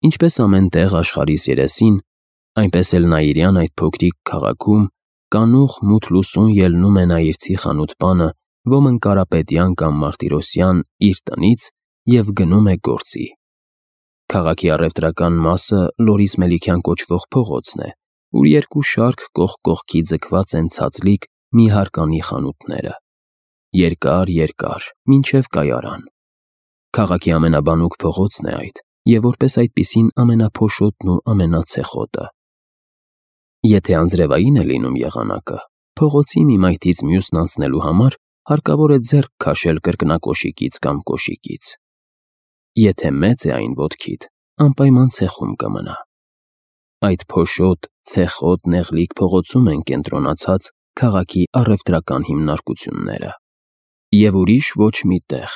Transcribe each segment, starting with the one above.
Ինչպես ամեն տեղ աշխարհիս երեսին, այնպես էլ Նաիրյան այդ փոքրիկ քաղաքում կանուխ մութ լուսուն ելնում է Նաիրցի խանութ-պանը ոմն Կարապետյան կամ Մարտիրոսյան իր տնից և գնում է գործի։ Քաղաքի առևտրական մասը Լորիս Մելիքյան կոչվող փողոցն է, ուր երկու շարք կողք կողքի ձգված են ցածլիկ մի հարկանի խանութները։ Երկար, մինչև կայարան։ Քաղաքի ամենաբանուկ փողոցն է այդ, և որպես այդպիսին ամենափոշոտն ու ամենացեխոտը։ Եթե անձրևային է լինում եղանակը, փողոցի մի մայթից մյուսն անցնելու համար հարկավոր է ձեռք քաշել կրկնակոշիկից կամ կոշիկից։ Եթե մեծ է այն ոտքիդ, անպայման ցեխում կմնա։ Այդ փոշոտ, ցեխոտ, նեղլիկ փողոցում են կենտրոնացած քաղաքի առևտրական հիմնարկությունները։ Եվ ուրիշ ոչ մի տեղ,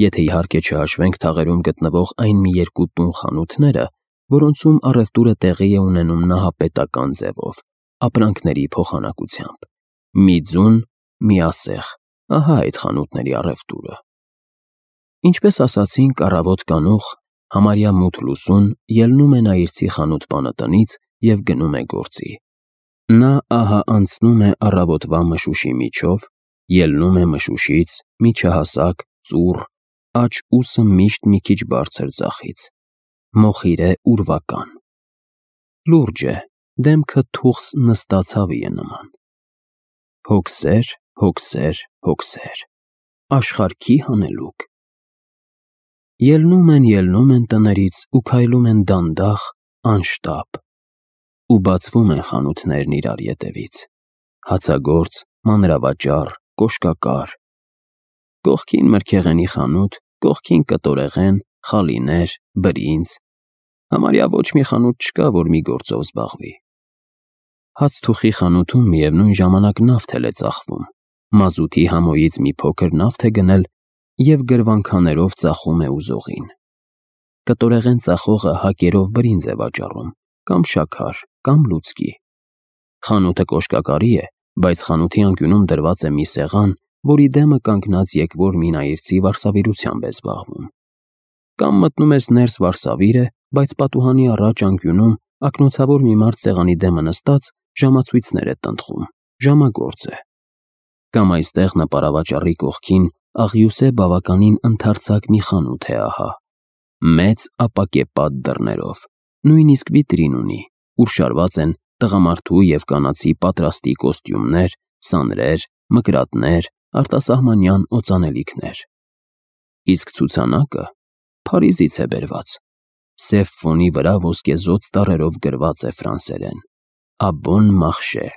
եթե իհարկե չհաշվենք թաղերում գտնվող այն մի երկու տուն-խանութները, որոնցում առևտուրը տեղի է ունենում նահապետական ձևով, ապրանքների փոխանակությամբ։ Մի ձուն, մի ասեղ, ահա այդ խանութների առևտուրը։ Ինչպես ասացինք, առավոտ կանուխ, համարյա մութ լուսուն ելնում է Նաիրցի խանութ-պանը տնից և գնում է գործի։ Նա ահա անցնում է առավոտվա մշուշի միջով, ելնում է մշուշից, միջահասակ, ծուռ, աջ ուսը միշտ մի քիչ բարձր ձախից, մոխիր է ուրվական։ Լուրջ է, դեմքը թուխս նստած հավի է նման։ Հոգսեր, աշխարհքի հանելուկ։ Ելնում են տներից ու քայլում են դանդաղ, անշտապ, ու բացվում են խանութներն իրար ետևից, հացագործ, մանրավաճառ, կոշկակար, կողքին մրգեղենի խանութ, կողքին կտորեղեն, խալիներ, բրինձ, համարյա ոչ մի խանութ չկա, որ մի գործով զբաղվի։ Հացթուխի խանութում միևնույն ժամանակ նավթ է ծախվում, մազութի համոյից մի փոքր նավթ է գնել և գրվանքաներով ծախում է ուզողին։ Կտորեղեն ծախողը հակերով բրինձ է վաճառում, կամ շաքար, կամ լուծկի։ Խանութը կոշկակարի է, բայց խանութի անկյունում դրված է մի սեղան, որի դեմը կանգնած եկվոր մի նայիրցի վարսավիրությամբ է զբաղվում։ Կամ մտնում ես ներս վարսավիրը, բայց պատուհանի առաջ անկյունում ակնոցավոր մի մարդ սեղանի դեմը նստած ժամացույցներ է տնտղում, ժամագործ է։ Կամ այստեղ նպարավաճառի կողքին աղյուսե բավականին ընդարձակ մի խանութ է ահա, մեծ ապակեպատ դռներով, նույնիսկ վիտրին ունի, ուր շարված են տղամարդու և կանացի պատրաստի կոստյումներ, սանրեր, մկրատներ, արտասահմանյան օծանելիքներ։ Իսկ ցուցանակը Փարիզից է բերված, սև ֆոնի վրա ոսկեզօծ տառերով գրված է ֆրանսերեն. «Աբոն մախշե»։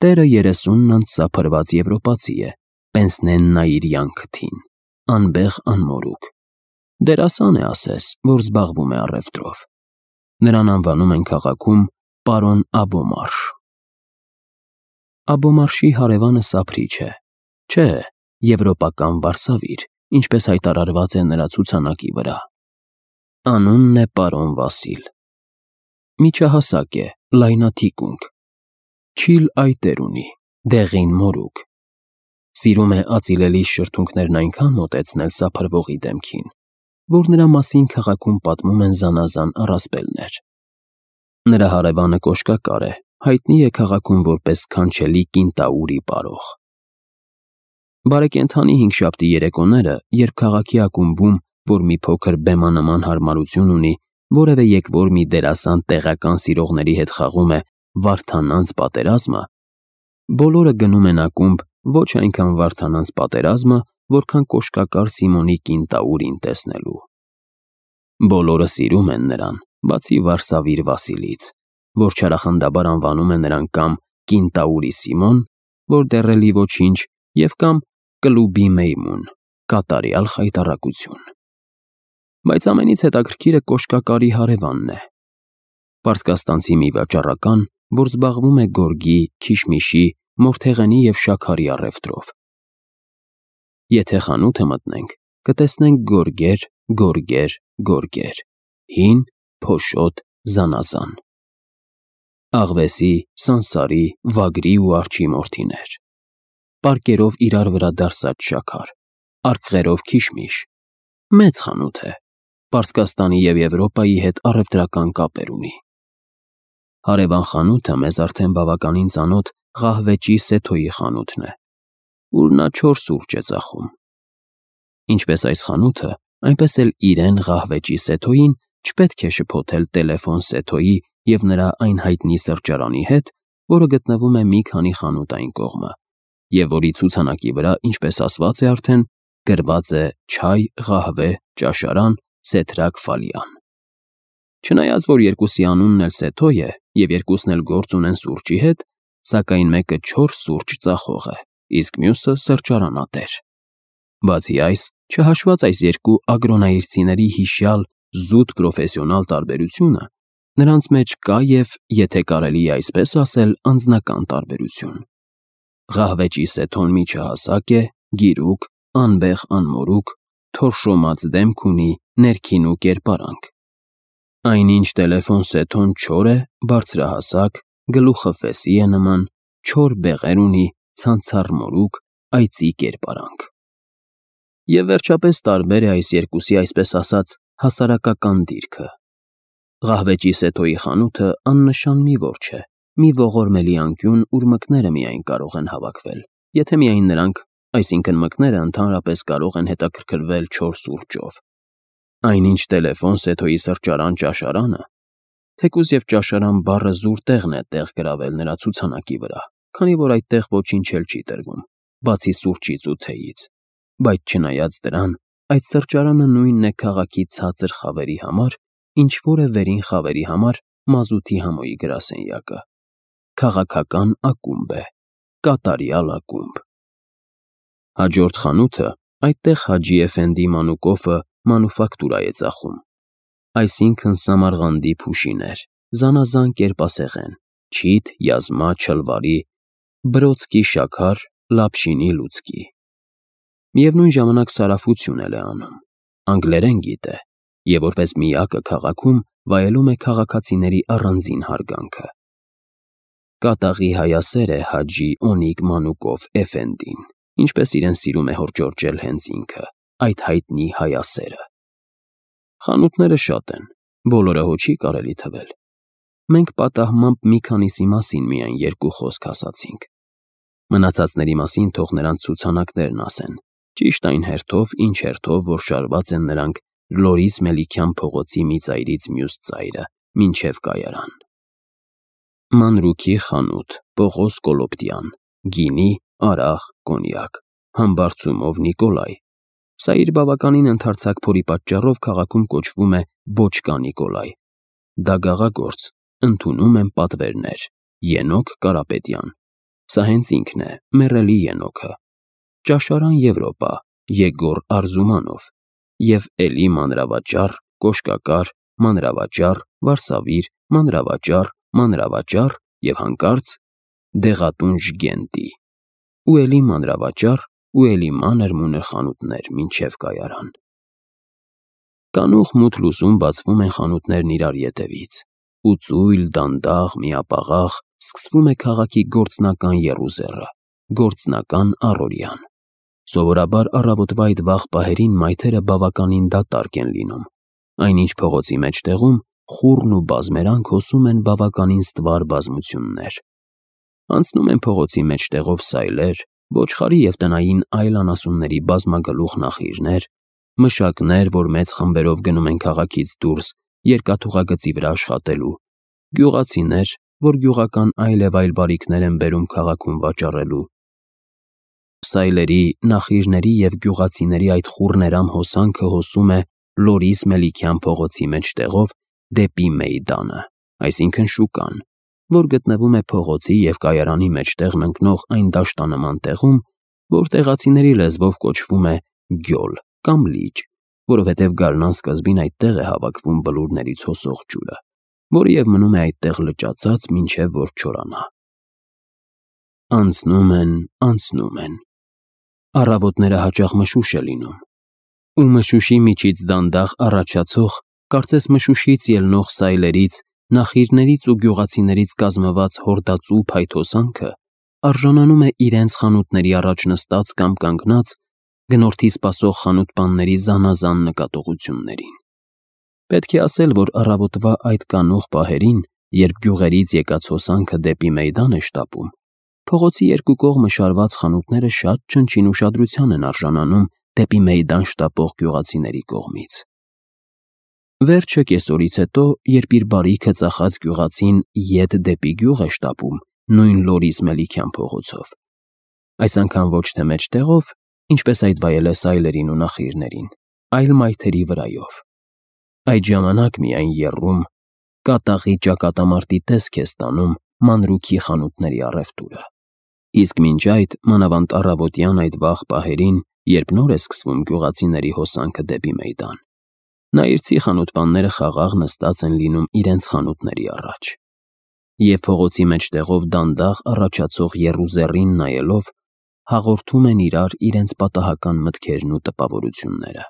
Տերը 30 անց սափրված եվրոպացի է, Պենսնեն Նաիրյան քթին, անբեղ անմորուք։ Դերասան է ասես, որ զբաղվում է առևտրով։ Նրան անվանում են քաղաքում պարոն Աբոմարշ։ Աբոմարշի հարևանը Սափրիչ է, չէ, եվրոպական վարսավիր, ինչպես հայտարարված է նրա ցուցանակի վրա։ Անունն է պարոն Վասիլ։ Միջահասակ է, լայնաթիկունք, չիլ այտեր ունի, դեղին մորուք։ Սիրում է ածիլելի շրթունքներն այնքան մոտեցնել սափրվողի դեմքին, որ նրա մասին քաղաքում պատմում են զանազան առասպելներ։ Նրա հարևանը կոշկակար է, հայտնի է քաղաքում որպես սքանչելի կինտաուրի պարող։ Բարեկենդանի հինգշաբթի երեկոները, երբ քաղաքի ակումբում, որ մի փոքր բեմանման հարմարություն ունի, որևէ եկվոր մի դերասան տեղական սիրողների հետ խաղում է Վարդանանց պատերազմը, բոլորը գնում են ակումբ ոչ այնքան Վարդանանց պատերազմը, որքան կոշկակար Սիմոնի կինտաուրին տեսնելու։ Բոլորը սիրում են նրան, բացի վարսավիր Վասիլից, որ չարախնդաբար անվանում է նրան կամ Կինտաուրի Սիմոն, որ դեռելի ոչինչ, և կամ Կլուբի Մեյմուն, կատարյալ խայտառակություն։ Բայց ամենից հետաքրքիրը կոշկակարի հարևանն է։ Պարսկաստանցի մի վաճառական, որ զբաղվում է գորգի, քիշմիշի, մորթեղենի և շաքարի առևտրով։ Եթե խանութը մտնենք, կտեսնենք գորգեր, հին, փոշոտ, զանազան։ Աղվեսի, սանսարի, վագրի ու արջի մորթիներ, պարկերով իրար վրա դարսած շաքար, արկղերով քիշմիշ, մեծ խանութ է, Պարսկաստանի և Եվրոպայի հետ առևտրական կապեր ունի։ Հարևան խանութը մեզ արդեն բավականին ծանոթ Ղահվեճի Սեթոյի խանութն է, ուր նա 4 սուրճ է ծախում։ Ինչպես այս խանութը, այնպես էլ իրեն Ղահվեճի Սեթոյին չպետք է շփոթել տելեֆոն Սեթոյի և նրա այն հայտնի սրճարանի հետ, որը գտնվում է մի քանի խանութ այն կողմը, և որի ցուցանակի վրա, ինչպես ասված է արդեն, գրված է «Չայ, Ղահվե, ճաշարան, Սեթրակ Ֆալյան»։ Չնայած որ երկուսի անունն էլ Սեթոյ է և երկուսն էլ գործ ունեն սուրճի հետ, սակայն մեկը 4 սուրճ ծախող է, իսկ մյուսը սրճարանատեր։ Բացի այս, չհաշված այս երկու ագրոնայրցիների հիշյալ զուտ պրոֆեսիոնալ տարբերությունը, նրանց մեջ կա և, եթե կարելի է այսպես ասել, անձնական տարբերություն։ Ղահվեճի Սեթոն միջահասակ է, գիրուկ, անմորուք, թորշոմած դեմք ունի, ներքին ու կերպարանք։ Այնինչ տելեֆոն Սեթոն չոր է, բարձրահասակ, գլուխը ֆեսի է նման, չոր բեղեր ունի, ցանցառ մորուք, այծի կերպարանք։ Եվ վերջապես տարբեր է այս երկուսի այսպես ասած հասարակական դիրքը։ Ղահվեճի Սեթոյի խանութը աննշան մի որջ է, մի ողորմելի անկյուն, ուր մկները միայն կարող են հավաքվել, եթե միայն նրանք, այսինքն մկները ընդհանրապես կարող են հետաքրքրվել 4 սուրճով։ Այնինչ տելեֆոն Սեթոյի սրճարան-ճաշարանը, թեկուզ և ճաշարան բառը զուր տեղն է տեղ գրավել նրա ցուցանակի վրա, քանի որ այդտեղ ոչինչ էլ չի տրվում, բացի սուրճից ու թեյից, բայց չնայած դրան, այդ սրճարանը նույնն է քաղաքի ցածր խավերի համար, ինչ որ է վերին խավերի համար մազութի համոյի գրասենյակը։ Քաղաքական ակումբ է, կատարյալ ակումբ։ Հաջորդ խանութը, այդտեղ Հաջի Էֆենդի Մանուկովը մանուֆակտուրա է ծախում, այսինքն Սամարղանդի փուշիներ, զանազան կերպասեղեն, չիթ, յազմա, չլվարի, բրոցկի շաքար, լապշինի լուցկի։ Միևնույն ժամանակ սարաֆություն էլ է անում, անգլերեն գիտե, և որպես միակը քաղաքում վայելում է քաղաքացիների առանձին հարգանքը։ Կատաղի հայասեր է Հաջի Օնիկ Մանուկով Էֆենդին, ինչպես իրեն սիրում է հորդորջել հենց ինքը, այդ հայտնի հայասերը։ Խանութները շատ են, բոլորը հո չի կարելի թվել։ Մենք պատահմամբ մի քանիսի մասին միայն 2 խոսք ասացինք։ Մնացածների մասին թող նրանց ցուցանակներն ասեն, ճիշտ այն հերթով, ինչ հերթով, որ շարված են նրանք Լորիս Մելիքյան փողոցի մի ծայրից մյուս ծայրը, մինչև կայարան։ Մանրուքի խանութ, Պողոս Կոլոպտյան, գինի, արաղ, կոնյակ, համբարձումով Նիկոլայ։ Սա իր բավականին ընդարձակ փորի պատճառով քաղաքում կոչվում է Բոչկա Նիկոլայ։ Դա գաղագործ, ընդունում են պատվերներ, Ենոք Կարապետյան։ Սա հենց ինքն է, մեռելի Ենոքը։ Ճաշարան Եվրոպա, Եգոր Արզումանով և էլի մանրավաճառ, կոշկակար, մանրավաճառ, վարսավիր, մանրավաճառ և հանկարծ դեղատուն Ժգենտի, ու էլի մանրավաճառ, ու էլի մանր-մունր խանութներ մինչև կայարան։ Կանուխ մութ լուսում բացվում են խանութներն իրար ետևից, ու ծույլ, դանդաղ, միապաղաղ սկսվում է քաղաքի գործնական եռուզեռը, գործնական առօրյան։ Սովորաբար առավոտվա այդ վաղ պահերին մայթերը բավականին դատարկ են լինում, այնինչ փողոցի մեջտեղում խուռն ու բազմերանք հոսում են բավականին ստվար բազմություններ։ Անցնում են փողոցի մեջտեղով սայլեր, ոչխարի և տնային այլ անասունների բազմագլուխ նախիրներ, մշակներ, որ մեծ խմբերով գնում են քաղաքից դուրս երկաթուղագծի վրա աշխատելու, գյուղացիներ, որ գյուղական այլ և այլ բարիքներ են բերում քաղաքում վաճառելու։ Սայլերի, նախիրների և գյուղացիների այդ խուռներամ հոսանքը հոսում է Լորիս Մելիքյան փողոցի մեջտեղով դեպի Մեյդանը, այսինքն շուկան, որ գտնվում է փողոցի և կայարանի մեջտեղն ընկնող այն դաշտանման տեղում, որ տեղացիների լեզվով կոչվում է Գյոլ կամ լիճ, որովհետև գարնան սկզբին այդտեղ է հավաքվում բլուրներից հոսող ջուրը, որը և մնում է այդտեղ լճացած, մինչև որ չորանա։ Անցնում են։ Առավոտները հաճախ մշուշ է լինում, ու մշուշի միջից դանդաղ առաջացող, կարծես մշուշից ելնող սայլերից, նախիրներից ու գյուղացիներից կազմված հորդածու փայտ հոսանքը արժանանում է իրենց խանութների առաջ նստած կամ կանգնած գնորդի սպասող խանութպանների զանազան նկատողություններին։ Պետք է ասել, որ առավոտվա այդ կանուխ պահերին, երբ գյուղերից եկած հոսանքը դեպի մեյդան է շտապում, փողոցի երկու կողմը շարված խանութները շատ չնչին ուշադրության են արժանանում դեպի մեյդան շտապող գյուղացիների կողմից։ Վերջը կեսօրից հետո, երբ իր բարիքը ծախած գյուղացին ետ դեպի գյուղ է շտապում նույն լորիս Մելիքյան փողոցով, այս անգամ ոչ թե մեջտեղով, ինչպես այդ վայելես այլերին ու նախիրներին, այլ մայթերի վրայով։ Այդ ժամանակ միայն եռում, կատաղի ճակատամարտի տեսք է ստանում մանրուքի խանութների առևտուրը։ Իսկ մինչ այդ, մանավանդ առավոտյան այդ վաղ պահերին, երբ նոր է սկսվում գյուղացիների հոսանքը դեպի մեյդան, նայիրցի խանութպանները խաղաղ նստած են լինում իրենց խանութների առաջ, և փողոցի մեջտեղով դանդաղ առաջացող եռուզեռին նայելով, հաղորդում են իրար իրենց պատահական մտքերն ու տպավորությունները։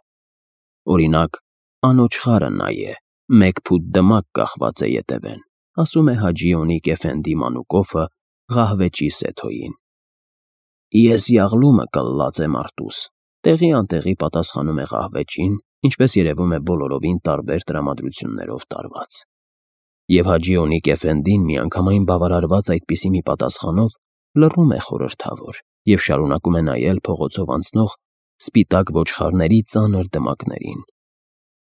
Օրինակ, անոջ խարը նա է, մեկ փուտ դմակ կախված է ետևեն, ասում է Հաջի Օնիկ Էֆենդի մանուկոֆը Ղահվեճի Սեթոյին։ Ես յաղլումը կլլած եմ արտուս, տեղի անտեղի պատասխանում է Ղահվեճին, ինչպես երևում է բոլորովին տարբեր տրամադրություններով տարված։ Եվ Հաջի Օնիկ Էֆենդին միանգամայն բավարարված այդպիսի մի պատասխանով լռում է խորհրդավոր և շարունակում է նայել փողոցով անցնող սպիտակ ոչխարների ծանր դմակներին։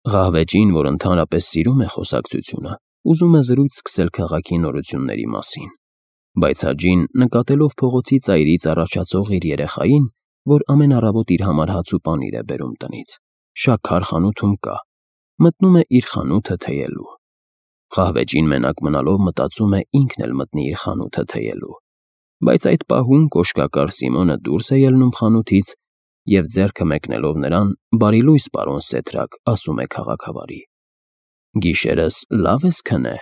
Ղահվեճին, որ ընդհանրապես սիրում է խոսակցությունը, ուզում է զրույց սկսել քաղաքի նորությունների մասին, բայց Հաջին, նկատելով փողոցի ծայրից առաջացող իր երեխային, որ ամեն առավոտ իր համար հաց ու պանիր է բերում տնից, շաքար խանութում կա, մտնում է իր խանութը թեյելու։ Ղահվեճին մենակ մնալով մտածում է ինքն էլ մտնի իր խանութը թեյելու, բայց այդ պահում կոշկակար Սիմոնը դուրս է ելնում խանութից և ձեռքը մեկնելով նրան, բարի լույս, պարոն Սեթրակ, ասում է քաղաքավարի։ Գիշերս լավ ես քնե,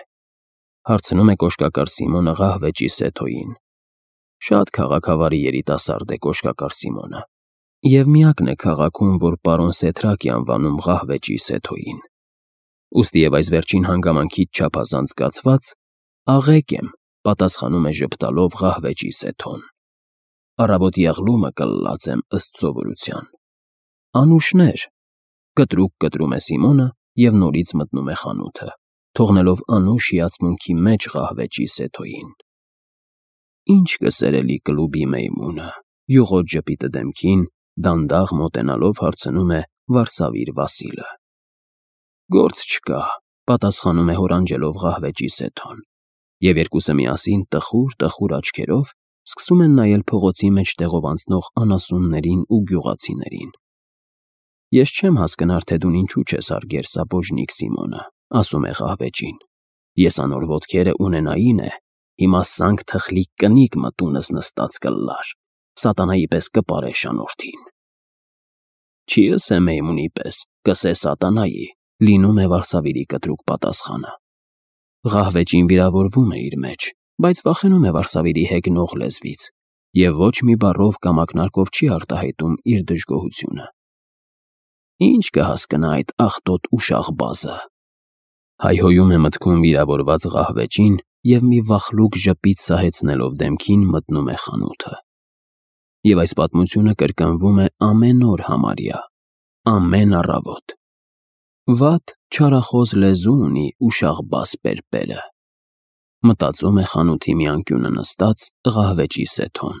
հարցնում է կոշկակար Սիմոնը Ղահվեճի Սեթոյին։ Շատ քաղաքավարի երիտասարդ է կոշկակար Սիմոնը, և միակն է քաղաքում, որ պարոն Սեթրակ է անվանում Ղահվեճի Սեթոյին։ Ուստի և այս վերջին հանգամանքից չափազանց զգացված, աղեկ եմ, պատասխանում է ժպտալով Ղահվեճի Սեթոն։ Առավոտ յաղլումը կլլած եմ ըստ սովորության։ Անուշներ, կտրուկ կտրում է Սիմոնը և նորից մտնում է խանութը, թողնելով անուշ հիացմունքի մեջ Ղահվեճի Սեթոյին։ Ինչ կսերելի կլուբի մեյմունը, յուղոտ ժպիտը դեմքին, դանդաղ մոտենալով հարցնում է Վարսավիր Վասիլը։ Գործ չկա, պատասխանում է հորանջելով Ղահվեճի Սեթոն, և երկուսը միասին տխուր աչքերով սկսում են նայել փողոցի մեջտեղով անցնող անասուններին ու գյուղացիներին։ Ես չեմ հասկնար, թե դու ինչու չես հարգեր սաբոժնիկ Սիմոնը, ասում է Ղահվեճին։ Ես անոր ոտքերը ունենային է, հիմա սանք թխլիկ կնիկ մտունս նստած կլլար, սատանայի պես կպարե շանորդին։ Չի ըսե մեյմունի պես, կսե սատանայի, լինում է Վարսավիրի կտրուկ պատասխանը։ Ղահվեճին վիրավորվում է իր մեջ, բայց վախենում է Վարսավիրի հեգնող լեզվից և ոչ մի բառով կամ ակնարկով չի արտահայտում իր դժգոհությունը։ Ինչ կհասկնա այդ աղտոտ ու շաղբազը, հայհոյում է մտքում վիրավորված Ղահվեճին և մի վախլուկ ժպիտ սահեցնելով դեմքին մտնում է խանութը։ Եվ այս պատմությունը կրկնվում է ամեն օր համարյա, ամեն առավոտ։ Վատ չարախոս լեզու ունի ու շաղբազ պերպերը, մտածում է խանութի մի անկյունը նստած Ղահվեճի Սեթոն։